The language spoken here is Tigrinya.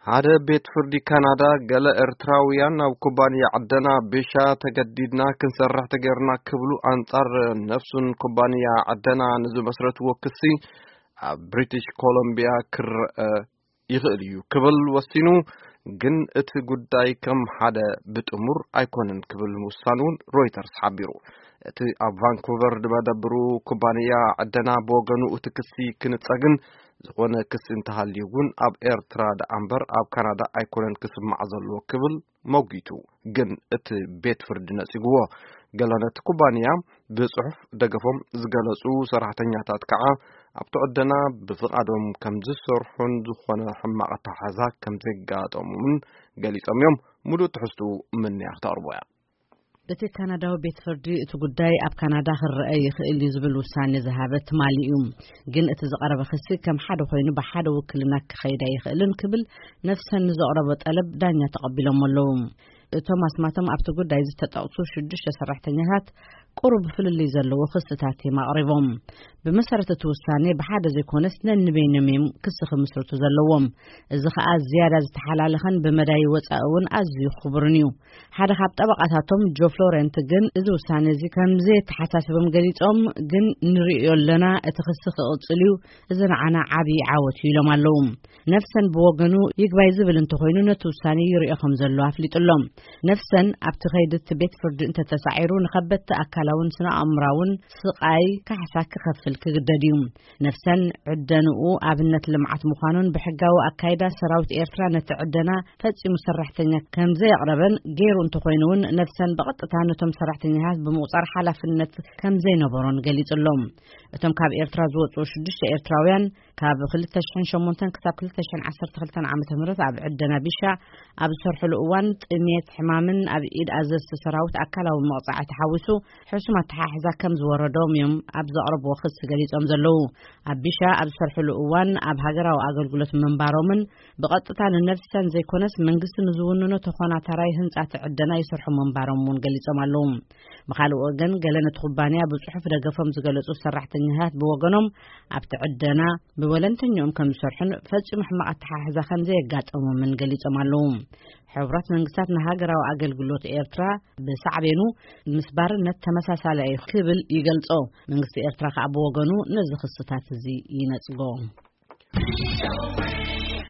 ሓደ ቤት ፍርዲ ካናዳ፣ ገለ ኤርትራውያን ናብ ኩባንያ ዕደና ቢሻ ተገዲድና ክንሰርሕ ተገይርና ክብሉ፣ ኣንጻር ነፍሱን ኩባንያ ዕደና ንዝመስረትዎ ክሲ ኣብ ብሪቲሽ ኮሎምቢያ ክረአ ይኽእል እዩ ክብል ወሲኑ። ግን እቲ ጉዳይ ከም ሓደ ብጥሙር ኣይኮነን ክብል ምውሳኑ እውን ሮይተርስ ሓቢሩ። እቲ ኣብ ቫንኩቨር ዝመደብሩ ኩባንያ ዕደና ብወገኑ፣ እቲ ክሲ ክንጸግን ዝኾነ ክሲ እንተሃልዩ እውን ኣብ ኤርትራ ደኣ እምበር ኣብ ካናዳ ኣይኮነን ክስማዕ ዘለዎ ክብል መጒቱ። ግን እቲ ቤት ፍርዲ ነጺግዎ። ገለ ነቲ ኩባንያ ብጽሑፍ ደገፎም ዝገለጹ ሰራሕተኛታት ከዓ ኣብቲ ዕደና ብፍቓዶም ከም ዝሰርሑን ዝኾነ ሕማቕ ኣተሓሕዛ ከም ዘጋጠሙን ገሊጾም እዮም። ሙሉእ ትሕዝቱ ምንያ ክተቕርቦ እያ። እቲ ካናዳዊ ቤት ፍርዲ እቲ ጉዳይ ኣብ ካናዳ ክረአ ይኽእል እዩ ዝብል ውሳኔ ዝሃበ ትማሊ እዩ። ግን እቲ ዝቐረበ ክሲ ከም ሓደ ኮይኑ ብሓደ ውክልና ክኸይድ ኣይኽእልን ክብል ነፍሰን ንዘቕረቦ ጠለብ ዳኛ ተቐቢሎም ኣለዉ። እቶም ኣስማቶም ኣብቲ ጉዳይ ዝተጠቕሱ ሽዱሽተ ሰራሕተኛታት ቁሩብ ፍልልይ ዘለዎ ክስታት እዮም ኣቕሪቦም። ብመሰረት እቲ ውሳኔ ብሓደ ዘይኮነስ ነንበይኖም እዮም ክሲ ክምስርቱ ዘለዎም። እዚ ኸኣ ዝያዳ ዝተሓላለኸን ብመዳይ ወጻኢ እውን ኣዝዩ ክቡርን እዩ። ሓደ ካብ ጠበቓታቶም ጆ ፍሎረንት ግን እዚ ውሳነ እዚ ከም ዘየተሓሳስቦም ገሊጾም፣ ግን ንርእዮ ኣለና፣ እቲ ክሲ ክቕጽል እዩ፣ እዚ ንዓና ዓብዪ ዓወት እዩ ኢሎም ኣለዉ። ነፍሰን ብወገኑ ይግባይ ዝብል እንተኾይኑ ነቲ ውሳነ ይርእዮ ከም ዘሎ ኣፍሊጡ ኣሎ። ነፍሰን ኣብቲ ከይዲ እቲ ቤት ፍርዲ እንተተሳዒሩ ንኸበድቲ ኣካላውን ስነ ኣእምራውን ስቓይ ካሕሳ ክኸፍል ክግደድ እዩ። ነፍሰን ዕደንኡ ኣብነት ልምዓት ምዃኑን ብሕጋዊ ኣካይዳ ሰራዊት ኤርትራ ነቲ ዕደና ፈጺሙ ሰራሕተኛ ከም ዘየቕረበን ገይሩ እንተኾይኑ እውን ነፍሰን ብቐጥታ ነቶም ሰራሕተኛታት ብምቑጻር ሓላፍነት ከም ዘይነበሮን ገሊጹ ኣሎ። እቶም ካብ ኤርትራ ዝወጹ ሽዱሽተ ኤርትራውያን ካብ ክልተ ሽሕን ሸሞንተን ክሳብ ክልተ ሽሕን ዓሰርተ ክልተን ዓመተ ምህረት ኣብ ዕደና ቢሻ ኣብ ዝሰርሕሉ እዋን ጥሜት፣ ሕማምን ኣብ ኢድ ኣዘዝቲ ሰራዊት ኣካላዊ መቕጻዕቲ ሓዊሱ ሕሱም ኣተሓሕዛ ከም ዝወረዶም እዮም ኣብ ዘቕረብዎ ክሲ ገሊጾም ዘለዉ። ኣብ ቢሻ ኣብ ዝሰርሕሉ እዋን ኣብ ሃገራዊ ኣገልግሎት ምንባሮምን ብቐጥታ ንነፍሰን ዘይኮነስ መንግስቲ ንዝውንኖ ተኾናታራይ ህንጻ እቲ ዕደና ይሰርሑ ምንባሮም እውን ገሊጾም ኣለዉ። ብኻልእ ወገን ገለ ነቲ ኩባንያ ብጽሑፍ ደገፎም ዝገለጹ ሰራሕተኛታት ብወገኖም ኣብቲ ዕደና ብወለንተኛኦም ከም ዝሰርሑን ፈጺሙ ሕማቕ ኣተሓሕዛ ከም ዘየጋጠሞምን ገሊጾም ኣለዉ። ሕቡራት መንግስታት ንሃገራዊ ኣገልግሎት ኤርትራ ብሳዕቤኑ ምስ ባርነት ተመሳሳሊ እዩ ክብል ይገልጾ። መንግስቲ ኤርትራ ከኣ ብወገኑ ነዚ ክስታት እዚ ይነጽጎ።